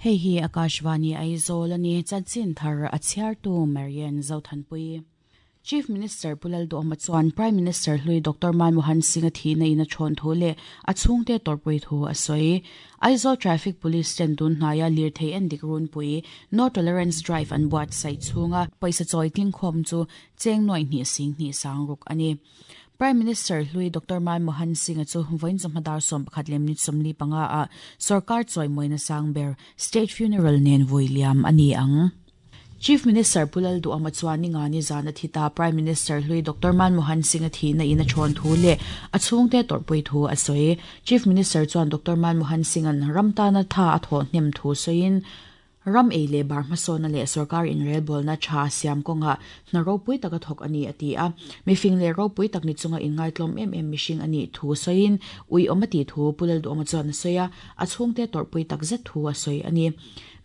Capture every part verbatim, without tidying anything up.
Hei hi Akashvani Aizawl ani chanchin thar a chhiartu Marian Zothanpui. Chief Minister Pu Lalduhoma chuan Prime Minister hlui Doctor Manmohan Singh a thihna in a thawn thu leh a chhungte tawrhpui thu a sawi. Aizawl Traffic Police ten tun hnaia lirthei endik runpui No Tolerance Drive an buatsaih chhunga pawisa chawi tlingkhawm chu cheng nuai hnih sing hnih sang ruk a ni. Prime Minister hlui Doctor Manmohan Singh a chu vawiin chawhma dar sawm pakhat lem ni sawmli panga ah sarkar chawi mawina sang ber State Funeral nen vui liam a ni ang. Chief Minister Pu Lalduhoma chuan ninga ni zan a thi ta Prime Minister hlui Doctor Manmohan Singh a thihna in a thawn thu leh a chhungte tawrhpui thu a sawi. Chief Minister chuan Doctor Manmohan Singh an ram tana tha a thawh hnem thu sawiin ram ei leh bar hmasawna leh sarkar inrelbawlna tha siam kawnga hna ropui taka thawk a ni a ti a. Mifing leh ropui tak ni chunga inngaihtlawm em em mihring a nih thu sawiin ui awm a tih thu Pu Lalduhoma chuan a sawi a, a chhungte tawrhpui tak zet thu a sawi a ni.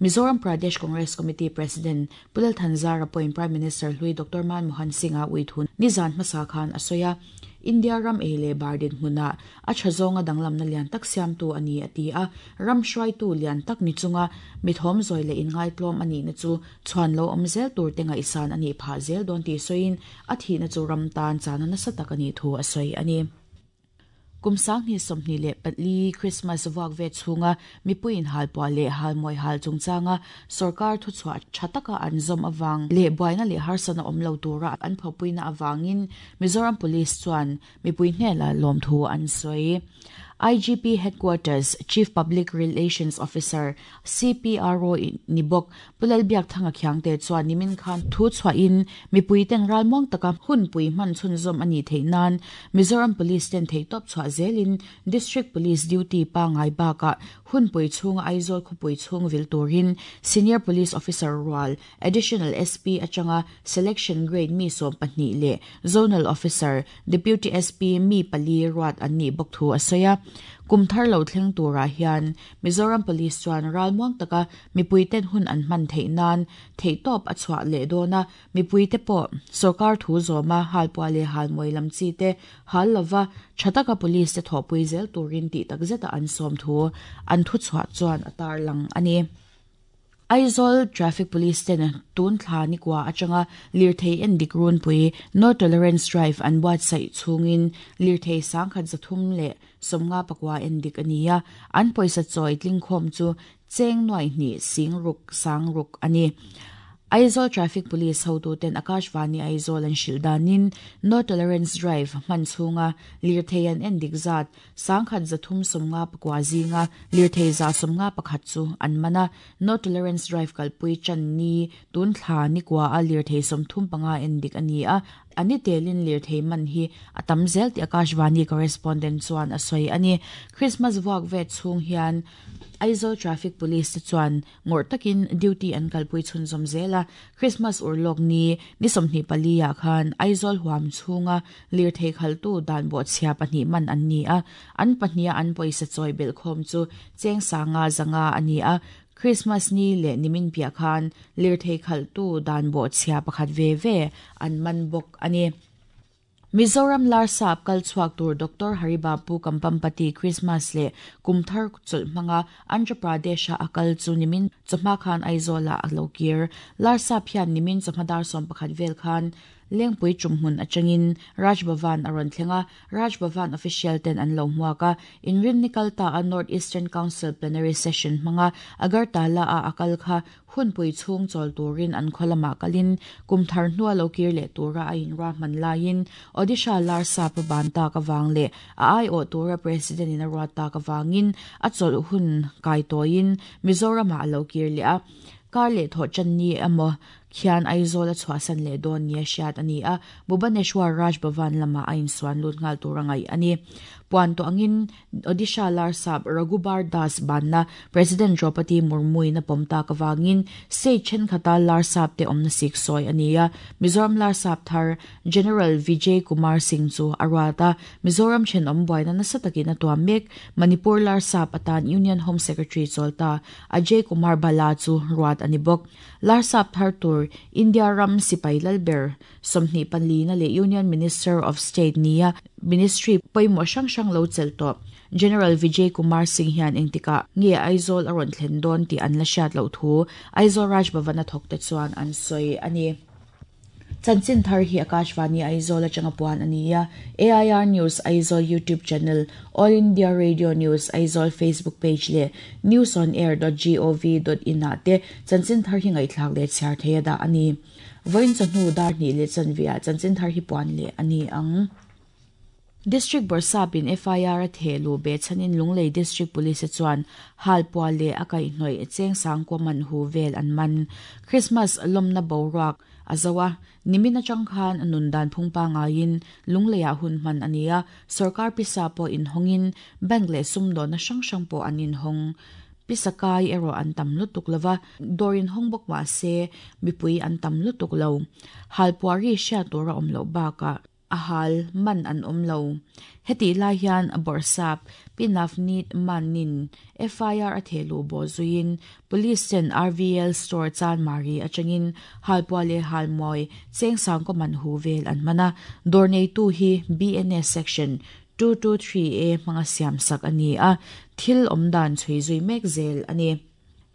Mizoram Pradesh Congress Committee President Pu Lal Thanzara pawhin Prime Minister hlui Doctor Manmohan Singh a ui thu nizan hmasa khan a sawi a. India ram ei leh bar dinhmunah a tha zawnga danglamna lian tak siamtu a ni a ti a. Ram hruaitu lian tak ni chunga mithawm zawi leh inngaihtlawm a nihna chu chhuan lo awm zel tur te ngaihsan a nih phah zel dawn tih sawiin a thihna chu ram tan chana nasa tak a nih thu a sawi a ni. Kum sang hnih sawmhnih leh pali Christmas vuak ve chhunga mipuiin halpuah leh halmawi hal chungchanga sarkar thuchhuah tha taka an zawm awang leh buaina leh harsana awm lo tura an phawpuina awangin Mizoram Police chuan mipui hnela lawm thu an sawi. I G P Headquarters Chief Public Relations Officer C P R O nibok Pu Lalbiakthanga Khiangte chuan nimin khan thu chhuahin mipui ten ralmuang taka hunpui hman chhunzawm a nih theih nan Mizoram Police ten theihtawp chhuah zelin District Police Duty pa ngai bakah hunpui chhunga Aizawl khawpui chhung vil turin Senior Police Officer rual Additional S P atanga Selection Grade mi sawm pahnih leh Zonal Officer Deputy S P mi pali ruat an nih bawk thu a sawi a. Kum thar lo thleng turah hian Mizoram Police chuan ralmuang taka mipui ten hun an hman theih nan theihtawp a chhuah leh dawn a. Mipui te pawh sarkar thu zawma halpuah leh halmawi lam chi te hal lova tha taka police te thawhpui zel turin tih tak zeta an sawm thu an thu chhuah chuan a tar lang a ni. Aizawl Traffic Police ten tun thla ni kwa atanga lirthei endik runpui No Tolerance Drive an buatsaih chhungin lirthei sangkhat zathum leh sawmnga pakua endik a ni a. An pawisa chawi tlingkhawm chu cheng nuai hnih sing ruk sang ruk a ni. Aizawl Traffic Police hotu ten Akashvani Aizawl an hrilh danin No Tolerance Drive hman chhunga lirthei an endik zat sangkhat zathum sawmnga pakua zinga lirthei za sawmnga pakhat chu an mana. No Tolerance Drive kalpui chan ni tun thla ni kwa a lirthei sawmthum panga endik a ni a. Ani telin lirthei man hi a tam zel ti Akashvani correspondent chuan a sawi a ni. Christmas vuak ve chhung hian Aizawl Traffic Police te chuan ngawrh takin duty an kalpui chhunzawm zela. Christmas urlawk ni ni sawmhnih pali ah khan Aizawl huam chhunga lirthei khaltu dan bawh chhia pahnih man an ni a. An pahnih an pawisa chawi belh khawm chu cheng sanga zanga a ni a. Christmas ni leh nimin piah khan lirthei khaltu dan bawh chhia pakhat ve ve an man bawk a ni. Mizoram Larsap kalchhuak tur Doctor Haribabu Kampampati Christmas leh Kumthar chawlh hmanga Andhra Pradesh a akal chu nimin chawhma khan Aizawl ah a lo kir. Larsap hian nimin chawhma dar sawm pakhat vel khan Lengpui tumhmun atangin Raj Bhavan a rawn thlenga. Raj Bhavan official ten an lo hmuak a. Inrin ni kalta a North Eastern Council plenary session hmanga Agartala a akal kha hunpui chhung chawl turin an khawlamah kalin kumthar hnua lo kir leh tura a inra hman laiin Odisha Larsap ban tak awang leh a ai awh tura president in a ruat tak awangin a chawlh hun kai tawiin Mizoram ah a lo kir leh a. Kar leh thawh chan ni emaw khian Aizawl a chhuahsan leh dawn ni a hriat a ni a. Bhubaneswar Raj Bhavan lamah a insuan lut nghal tur a ngaih a ni. Puan tawh angin Odisha Larsap Raghubar Das banna President Draupadi Murmu in a pawm tak awangin state thenkhat Larsap te awmna sik sawi a ni a. Mizoram Larsap thar General Vijay Kumar Singh chu a ruat a. Mizoram thenawm buaina nasa takin a tuam mek Manipur Larsap atan Union Home Secretary chawlta Ajay Kumar Bala chu ruat a ni bawk. Larsap thar tur India ram sipai lalber sawmhnih panli na leh Union Minister of State nia Ministry pawimawh hrang hrang lo chel tawh General Vijay Kumar Singh hian engtika nge Aizawl a rawn thlen dawn tih an la hriat loh thu Aizawl Raj Bhavan a thawk te chuan an sawi a ni. Chanchin thar hi Akashvani Aizawl atanga puan ani a. A I R News Aizawl YouTube channel, All India Radio News Aizawl Facebook page le news on air dot gov dot in ah te chanchin thar hi ngaihthlak leh chhiar thei a dah ani. Vawiin chawhnu dar hnih leh chanve ah chanchin thar hi puan leh ani ang. District Borsapin F I R a thehlu be chanin Lunglei District Police chuan halpua leh a kaihhnawih cheng sangkua man hu vel an man. Christmas lawmna boruak a zo a nimin atang khan nun dan phungpa ngaiin Lunglei ah hun hman ania sarkar pisa pawh in hawngin bank leh sumdawn na hrang hrang pawh an in hawng. Pisakai ero an tam lutuk lova dorin hongbok ma se mipui an tam lutuk lo. Halpuari hriat tur a awm loh bakah a hal man an awm lo. Heti lai hian Borsap Pinafnit manin F I R a thehlu bo zuiin Police ten R V L store chan mari atangin halpua leh halmawi cheng sangkaw man hu vel an mana dawr neitu hi B N S section two two three A hmanga siam sak ani a thil awmdan chhui zui mek zel ani.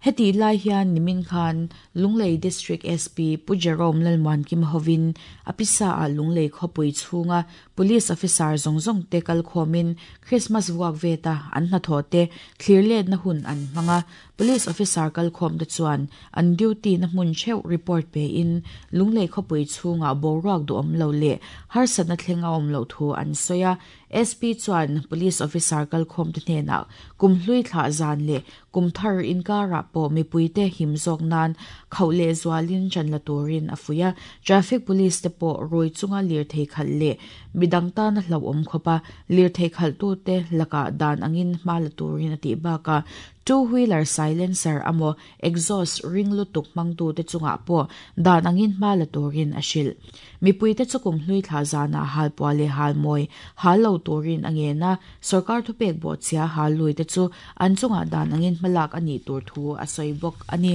Heti lai hian nimin khan Lunglei District S P Pu Jerome Lalmuan Kim hovin apisa a Lunglei khawpui chhunga police officer zawng zawng te kal khawmin Christmas vuak veta an hnathawh te thlir let na hun an hmanga police officer kal khawm te chuan an duty na hmun theuh report pe in Lunglei khawpui chhunga boruak duh awm lo leh harsatna thleng a awm loh thu an sawi a. S P chuan police officer kal khawm te hnenah kumhlui thlah zan leh kumthar inkara pawh mipui te him zawk nan khauh leh zualin chan la turin a fuih a. Traffic police te pawh rui chunga lirthei khalh leh midang tana hlauhawm khawpa lirthei khalh tu te lakah dan angin hma la turin a tih bakah two-wheeler silencer amo exhaust ring lutuk hmangtu te chungah pawh dan angin hma la turin a hrilh. Mipui te chu kumhlui thlah zanah halpua leh halmawi hal lo turin a ngen a sarkar thupek bawh chhia hal lui te chu an chungah dan angin hmalak ani tur thu a sawi bawk ani.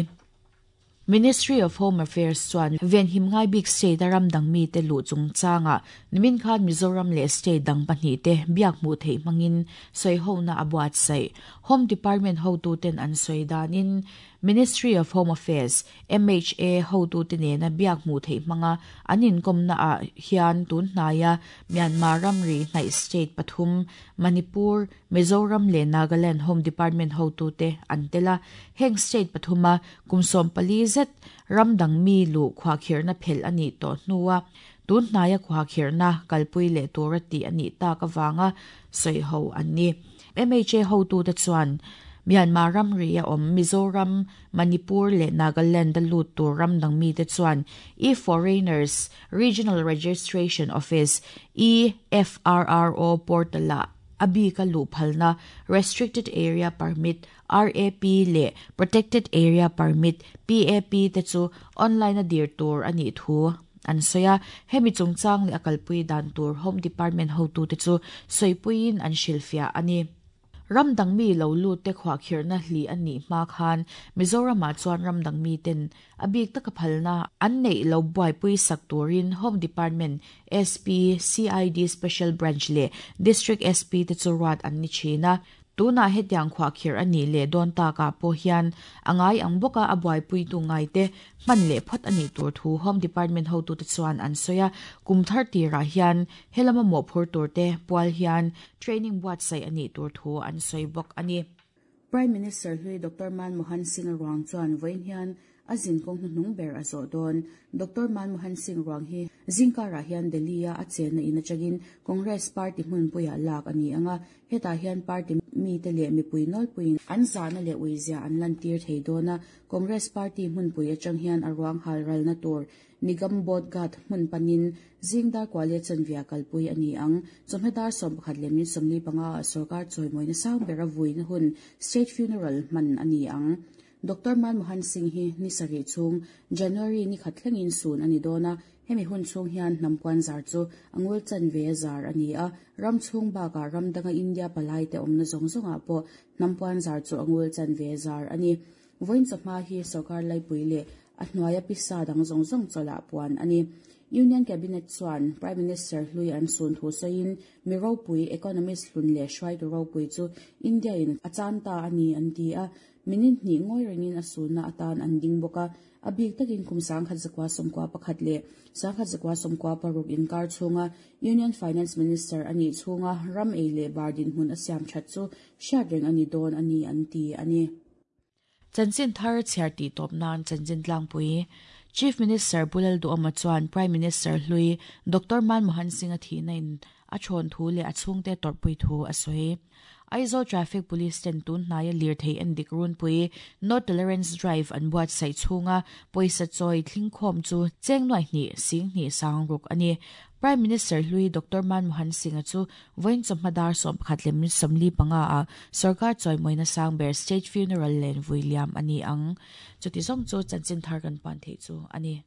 Ministry of Home Affairs chuan venhim ngai bik state a ram dang mi te luh chungchanga nimin khan Mizoram leh state dang pahnih te biak hmuh theih hmangin sawi hona a buatsaih. Home Department hotu ten an sawi danin Ministry of Home Affairs M H A hotu te nena biak hmuh theih hmanga an inkawmna ah hian tun hnaia Myanmar ramri hnaih state pathum Manipur, Mizoram leh Nagaland Home Department hotu te an tela heng state pathuma kumsawm pali zet ramdang mi lu khuakhirna phel ani tawh hnuwa tun hnaia khuakhirna kalpui leh tur ti ani tak awanga sawi ho an ni. M H A hotu te chuan Myanmar ramri a awm Mizoram, Manipur leh Nagaland a lut tur ramdang mi te chuan E-Foreigners Regional Registration Office E F R R O portal ah abika lu phalna Restricted Area Permit R A P leh Protected Area Permit P A P te chu online a dir tur ani thu an sawi a. Hemi chungchang leh a kalpui dan tur Home Department hotu te chu sawipuiin an hrilhfiah ani. Ramdang mi lo lut te khuakhirna hli ani hma khan Mizoram ah chuan ramdang mi ten a bik taka phalna an nei lo buaipui sak turin Home Department S P C I D Special Branch leh District S P te chu ruat an ni thina. Tuna hetiang khuakhir ani leh dawn takah pawh hian angai ang bawka a buaipui tu ngai te hman leh phawt ani tur thu Home Department hotu te chuan an sawi a. Kumthar tirah hian helama mawhphur tur te pual hian training buatsaih ani tur thu an sawi bawk ani. Prime Minister hlui Doctor Manmohan Singh ruang chuan vawiin hian a zin kawng hnuhnung ber a zawh dawn. Doctor Manmohan Singh ruang hi zingkarah hian Delhi a a chenna in atangin Congress Party hmunpuiah lak ani anga hetah hian party mi te leh mipui nawlpuiin an zahna leh uizia an lan tir thei dawn a. Congress Party hmunpui atang hian a ruang hal ralna tur Nigam Bodh Ghat hmun panin zingdar kwale chanvia kalpui ani ang. Chawhmedar sawm pakhat leh min sawmli panga sarkar chawimawina sang ber a vuina hun state funeral hman ani ang. Doctor Manmohan Singh hi ni sarih chhung January ni khat thlengin sun ani dawn a. Hemi hun chhung hian hnampuan zar chu angul chanve zar ani a. Ram chhung bakah ramdanga India palai te awmna zawng zawngah pawh hnampuan zar chu angul chanve zar ani. Vawiin chawhma hi sarkar laipui leh a hnuaia pisa dang zawng zawng chawlah puan ani. Union Cabinet chuan Prime Minister hlui an sun thu sawiin mi ropui economist hlun leh hruaitu ropui chu India in a chan ta ani an ti a minute hnih ngawi rengin a sunna atan an ding bawk a a bik takin kum sangkhat zakua sawmkua pakhat leh sangkhat zakua sawmkua paruk inkar chhunga Union Finance Minister ani chhunga ram ei leh bar dinhmun a siam that chu hriat reng ani dawn ani an ti ani. Chanchin thar chhiar tih tawp nan chanchin tlangpui Chief Minister Pu Lalduhoma chuan Prime Minister hlui Doctor Manmohan Singh a thihna in a thawn thu leh a chhungte tawrhpui thu a sawi. Aizawl Traffic Police ten tun hnaia lir thei en dik runpui No Tolerance Drive an buatsaih chhunga pawisa chawi thlingkhawm chu cheng nuai hnih sing hnih sang ruk ani. Prime Minister hlui Doctor Manmohan Singh chu vawiin chawhma dar sawm pakhat leh min sawmli panga a sarkar chawimawina sang ber state funeral len vui liam ani ang. Chuti zawng chu chanchin thar kan pan thei chu ani.